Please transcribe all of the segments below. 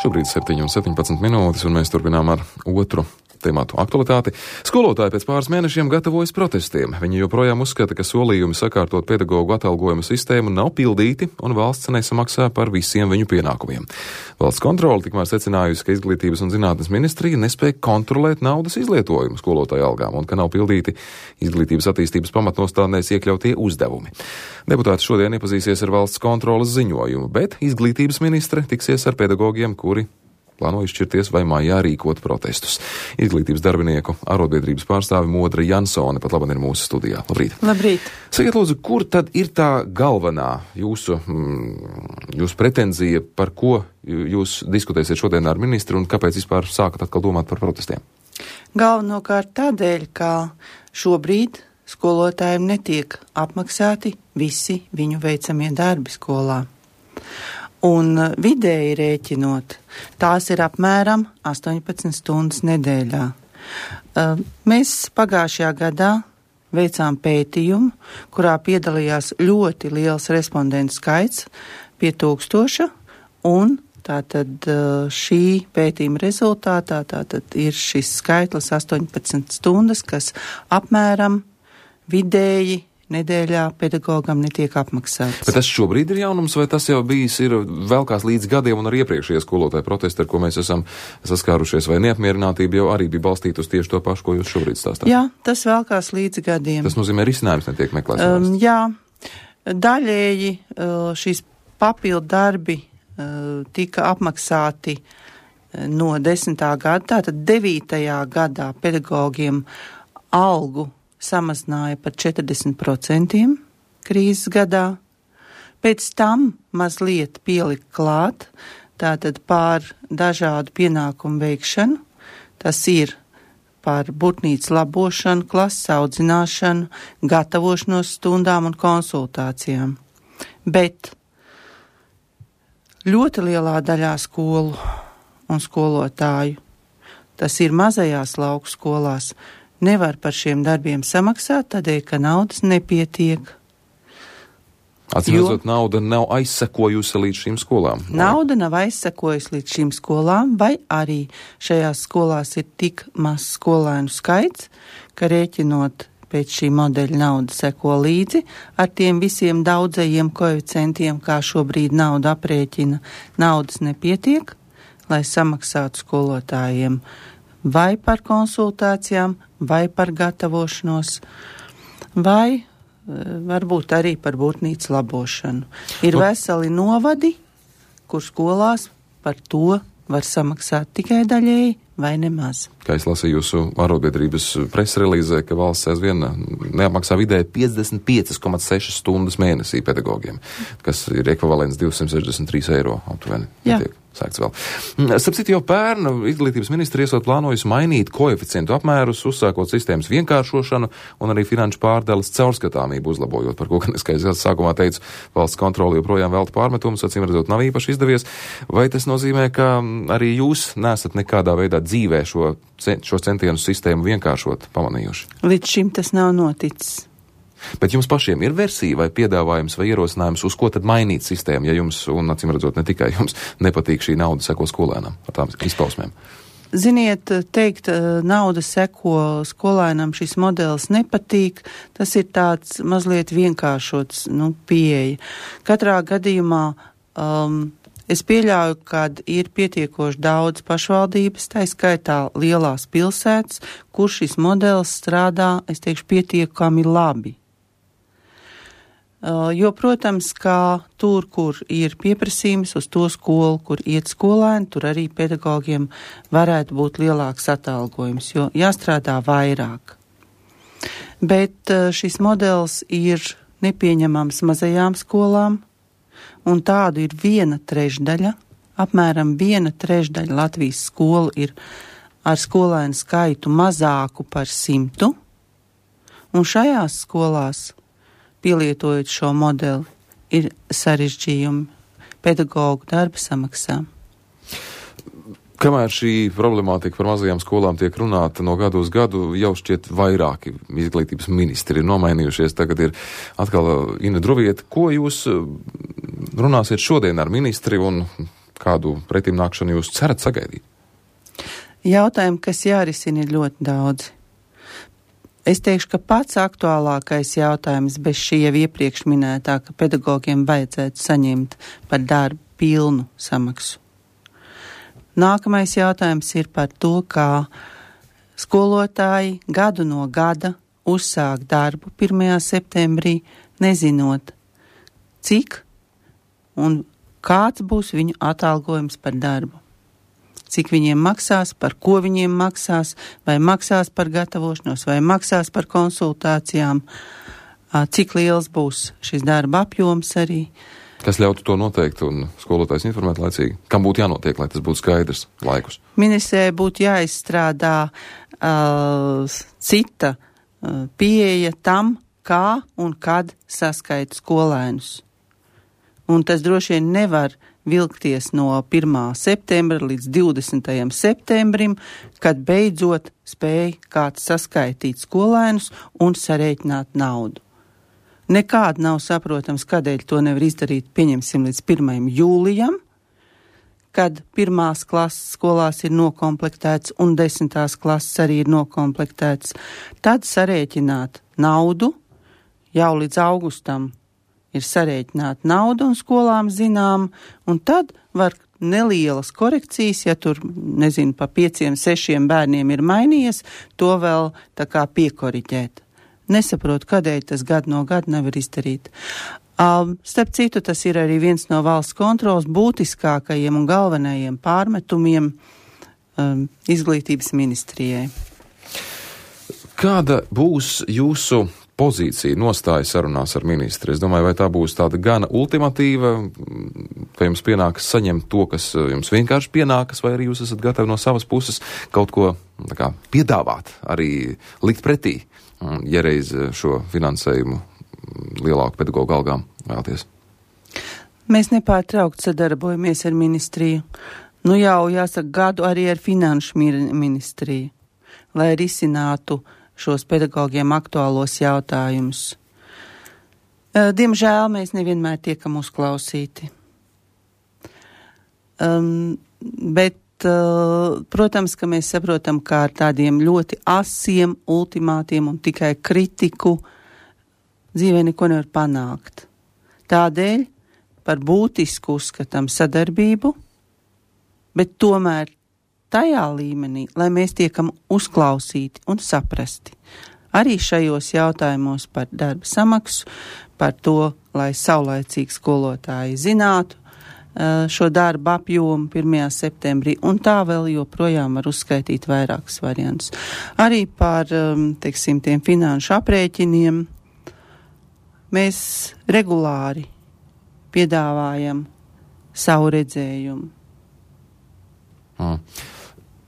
Šobrīd 7:17, un mēs turpinām ar otru tematu aktualitāti. Skolotāji pēc pāris mēnešiem gatavojas protestiem. Viņi joprojām uzskata, ka solījumi sakārtot pedagoģu atalgojuma sistēmu nav pildīti un valsts nesamaksā par visiem viņu pienākumiem. Valsts kontrole tikmēr secinājusi, ka Izglītības un zinātnes ministrija nespēja kontrolēt naudas izlietojumu skolotāju algām un ka nav pildīti izglītības attīstības pamatnostādnēs iekļautie uzdevumi. Deputāti šodien iepazīsies ar valsts kontroles ziņojumu, bet izglītības ministre tiksies ar pedagogiem, kuri plāno izšķirties vai mājā rīkot protestus. Izglītības darbinieku arotbiedrības pārstāvi Modra Jansone pat labāk ir mūsu studijā. Labrīt! Labrīt! Sakiet, lūdzu, kur tad ir tā galvenā jūsu pretenzija, par ko jūs diskutēsiet šodien ar ministru un kāpēc vispār sākat atkal domāt par protestiem? Galvenokārt tādēļ, ka šobrīd skolotājiem netiek apmaksāti visi viņu veicamie darbi skolā. Un vidēji rēķinot, tās ir apmēram 18 stundas nedēļā. Mēs pagājušajā gadā veicām pētījumu, kurā piedalījās ļoti liels respondentu skaits, pie 1000, un tātad šī pētījuma rezultātā tātad ir šis skaitlis 18 stundas, kas apmēram vidēji nedēļā pedagogam netiek apmaksāts. Bet tas šobrīd ir jaunums, vai tas jau bijis ir velkās līdz gadiem un ar iepriekšējie skolotāju protesti, ar ko mēs esam saskārušies, vai neapmierinātība jau arī bija balstīta uz tieši to pašu, ko jūs šobrīd stāstāt? Jā, tas velkās līdz gadiem. Tas nozīmē, risinājums netiek meklēts. Jā, daļēji šīs papildu darbi tika apmaksāti no 10. gada, tātad 9. gadā pedagogiem algu samazināja par 40% krīzes gadā. Pēc tam mazliet pielika klāt, tātad pār dažādu pienākumu veikšanu. Tas ir par būtnīcas labošanu, klases audzināšanu, gatavošanos stundām un konsultācijām. Bet ļoti lielā daļā skolu un skolotāju, tas ir mazajās lauku skolās, nevar par šiem darbiem samaksāt, tādēļ, ka naudas nepietiek. Atcīmredzot, nauda nav aizsekojusi līdz šīm skolām. Nauda nav aizsekojusi līdz šīm skolām, vai arī šajās skolās ir tik maz skolēnu skaits, ka rēķinot pēc šī modeļa nauda seko līdzi ar tiem visiem daudzajiem koeficientiem, kā šobrīd nauda aprēķina. Naudas nepietiek, lai samaksātu skolotājiem vai par konsultācijām, vai par gatavošanos, vai varbūt arī par būtnīcas labošanu. Ir veseli novadi, kur skolās par to var samaksāt tikai daļēji vai nemaz. Kā es lasīju jūsu arotbiedrības presrelīzē, ka valsts aizvien neapmaksā vidēji 55,6 stundas mēnesī pedagogiem, kas ir ekvivalents 263 eiro aptuveni. Sākts vēl. Starp citu, jau pērn Izglītības ministri esot plānojusi mainīt koeficientu apmērus, uzsākot sistēmas vienkāršošanu un arī finanšu pārdales caurskatāmību uzlabojot, par ko, gan es, kā es sākumā teicu, valsts kontrole joprojām velta pārmetumus, acīm redzot, nav īpaši izdevies. Vai tas nozīmē, ka arī jūs nesat nekādā veidā dzīvē šo centienu sistēmu vienkāršot pamanījuši? Līdz šim tas nav noticis. Bet jums pašiem ir versija vai piedāvājums vai ierosinājums, uz ko tad mainīt sistēmu, ja jums, un acīm redzot, ne tikai jums, nepatīk šī nauda seko skolēnam ar tām izpausmēm? Ziniet, teikt, nauda seko skolēnam, šis modelis nepatīk, tas ir tāds mazliet vienkāršots, pieeja. Katrā gadījumā es pieļauju, ka ir pietiekoši daudz pašvaldības, tā skaitā lielās pilsētas, kur šis modelis strādā, es teikšu, pietiekami labi. Jo, protams, kā tur, kur ir pieprasījums uz to skolu, kur iet skolēni, tur arī pedagogiem varētu būt lielāks atalgojums, jo jāstrādā vairāk. Bet šis modelis ir nepieņemams mazajām skolām, un tādu ir 1/3, apmēram 1/3 Latvijas skolu ir ar skolēnu skaitu mazāku par 100, un šajās skolās, pielietojot šo modeli, ir sarežģījumi pedagogu darba samaksā. Kamēr šī problemātika par mazajām skolām tiek runāta no gadu uz gadu, jau šķiet vairāki izglītības ministri ir nomainījušies. Tagad ir atkal Ina Druvieta. Ko jūs runāsiet šodien ar ministri un kādu pretimnākšanu jūs cerat sagaidīt? Jautājumi, kas jārisina, ir ļoti daudzi. Es teikšu, ka pats aktuālākais jautājums bez šī jau iepriekš minētā, ka pedagogiem vajadzētu saņemt par darbu pilnu samaksu. Nākamais jautājums ir par to, kā skolotāji gadu no gada uzsāk darbu 1. septembrī, nezinot, cik un kāds būs viņu atalgojums par darbu. Cik viņiem maksās, par ko viņiem maksās, vai maksās par gatavošanos, vai maksās par konsultācijām, cik liels būs šis darba apjoms arī. Kas ļautu to noteikt un skolotājs informēt laicīgi? Kam būtu jānotiek, lai tas būtu skaidrs laikus? Ministrē būtu jāizstrādā cita pieeja tam, kā un kad saskaita skolēnus. Un tas droši vien nevar vilkties no 1. septembra līdz 20. septembrim, kad beidzot spēja kāds saskaitīt skolēnus un sarēķināt naudu. Nekādi nav saprotams, kādēļ to nevar izdarīt, pieņemsim, līdz 1. jūlijam, kad 1. klases skolās ir nokomplektēts un 10. klases arī ir nokomplektēts. Tad sarēķināt naudu, jau līdz augustam ir sarēķināta nauda un skolām zinām, un tad var nelielas korekcijas, ja tur, pa 5-6 bērniem ir mainījies, to vēl tā kā piekoriģēt. Nesaprotu, kādēļ tas gadu no gada nevar izdarīt. Starp citu, tas ir arī viens no valsts kontrolas būtiskākajiem un galvenajiem pārmetumiem izglītības ministrijai. Kāda būs jūsu pozīcija, nostāja sarunās ar ministri? Es domāju, vai tā būs tāda gana ultimatīva, vai jums pienākas saņemt to, kas jums vienkārši pienākas, vai arī jūs esat gatavi no savas puses kaut ko piedāvāt, arī likt pretī, ja reiz šo finansējumu lielāku pedagoģu algām vēlaties? Mēs nepārtraukt sadarbojamies ar ministriju. Jau jāsaka gadu arī ar finanšu ministriju, lai risinātu šos pedagogiem aktuālos jautājumus. Diemžēl mēs nevienmēr tiekam uzklausīti. Bet, protams, ka mēs saprotam, kā ar tādiem ļoti asiem ultimātiem un tikai kritiku dzīvē neko nevar panākt. Tādēļ par būtisku uzskatām sadarbību, bet tomēr tajā līmenī, lai mēs tiekam uzklausīti un saprasti. Arī šajos jautājumos par darba samaksu, par to, lai saulaicīgi skolotāji zinātu šo darba apjomu 1. septembrī, un tā vēl joprojām var uzskaitīt vairākus variantus. Arī par, tiem finanšu aprēķiniem mēs regulāri piedāvājam savu redzējumu.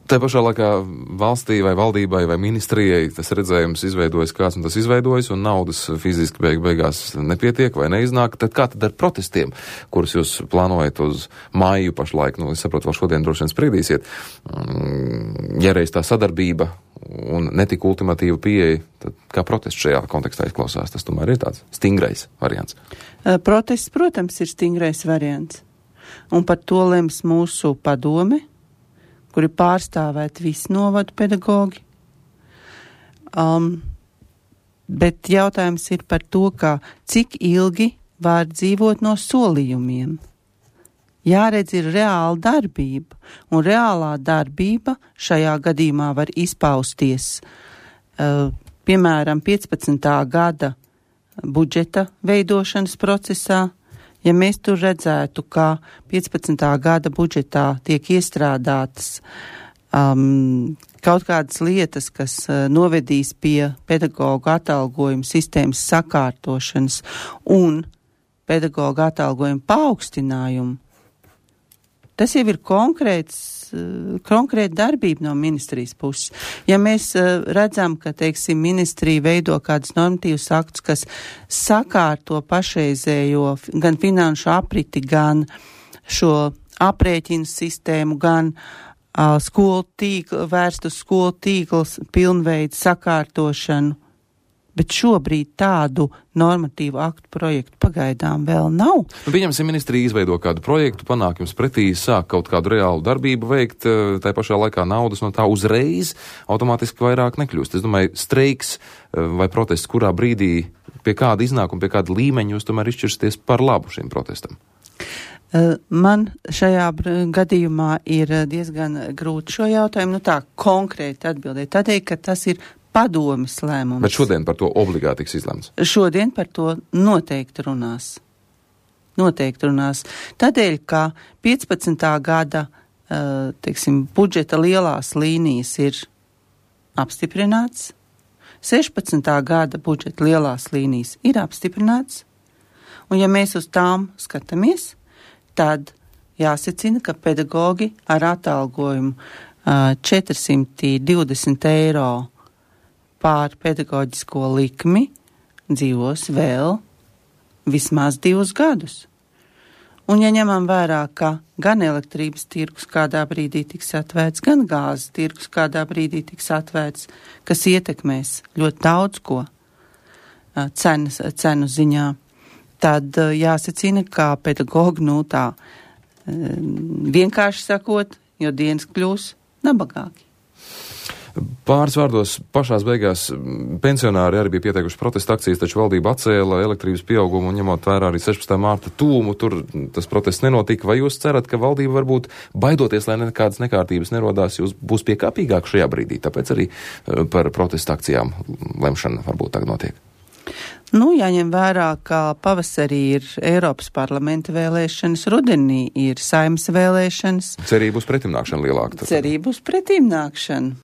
Tā pašā laikā valstī vai valdībai vai ministrijai tas redzējums izveidojas kāds un tas izveidojas, un naudas fiziski beigās nepietiek vai neiznāk. Tad kā tad ar protestiem, kurus jūs plānojat uz māju pašlaik? Es saprotu, vēl šodien droši vien spriedīsiet. Ja reiz tā sadarbība un netika ultimatīva pieeja, tad kā protests šajā kontekstā izklausās? Tas tomēr ir tāds stingrais variants. Protests, protams, ir stingrais variants. Un par to lems mūsu padome, kuri pārstāvēt visu novadu pedagogi. Bet jautājums ir par to, cik ilgi var dzīvot no solījumiem. Jāredz ir reāla darbība, un reālā darbība šajā gadījumā var izpausties, piemēram, 15. gada budžeta veidošanas procesā. Ja mēs tur redzētu, ka 15. gada budžetā tiek iestrādātas kaut kādas lietas, kas novedīs pie pedagoģu atalgojuma sistēmas sakārtošanas un pedagoģu atalgojuma paaugstinājumu, tas jau ir konkrēta darbība no ministrijas puses. Ja mēs redzam, ka, ministrija veido kādus normatīvus aktus, kas sakārto pašreizējo gan finanšu apriti, gan šo aprēķinu sistēmu, gan skolu tīklu, vērstu skolu tīkls pilnveidu sakārtošanu, bet šobrīd tādu normatīvu aktu projektu pagaidām vēl nav. Pieņemsim, ministrija izveido kādu projektu, panāk jums pretī, sāk kaut kādu reālu darbību veikt, tā pašā laikā naudas no tā uzreiz automātiski vairāk nekļūst. Es domāju, streiks vai protests, kurā brīdī, pie kāda iznākuma, pie kāda līmeņa jūs tomēr izšķirsieties par labu šim protestam? Man šajā gadījumā ir diezgan grūti šo jautājumu tā konkrēti atbildēt, tādēļ, ka tas ir padomes lēmums. Bet šodien par to obligāti tiks izlemts? Šodien par to noteikti runās. Tādēļ, ka 15. gada, budžeta lielās līnijas ir apstiprināts, 16. gada budžeta lielās līnijas ir apstiprināts, un ja mēs uz tām skatāmies, tad jāsacina, ka pedagogi ar atalgojumu 420 eiro pār pedagoģisko likmi dzīvos vēl vismaz 2 gadus. Un ja ņemam vērā, ka gan elektrības tirgus kādā brīdī tiks atvērts, gan gāzes tirgus kādā brīdī tiks atvērts, kas ietekmēs ļoti daudz ko cenu ziņā, tad jāsacina, ka pedagogi, vienkārši sakot, jo dienas kļūs nabagāki. Pāris vārdos pašās beigās pensionāri arī bija pieteikuši protesta akcijas, taču valdība atcēla elektrības pieaugumu un ņemot vērā arī 16. mārta tūmu, tur tas protests nenotika. Vai jūs cerat, ka valdība varbūt baidoties, lai nekādas nekārtības nerodās, jūs būs piekāpīgāk šajā brīdī? Tāpēc arī par protesta akcijām lemšana varbūt tagad notiek. Jāņem vērā, ka pavasarī ir Eiropas parlamenta vēlēšanas, rudenī ir Saeimas vēlēšanas. Cerību uz pretimnākšanu lielāka. Cerību uz pretimnākšanu.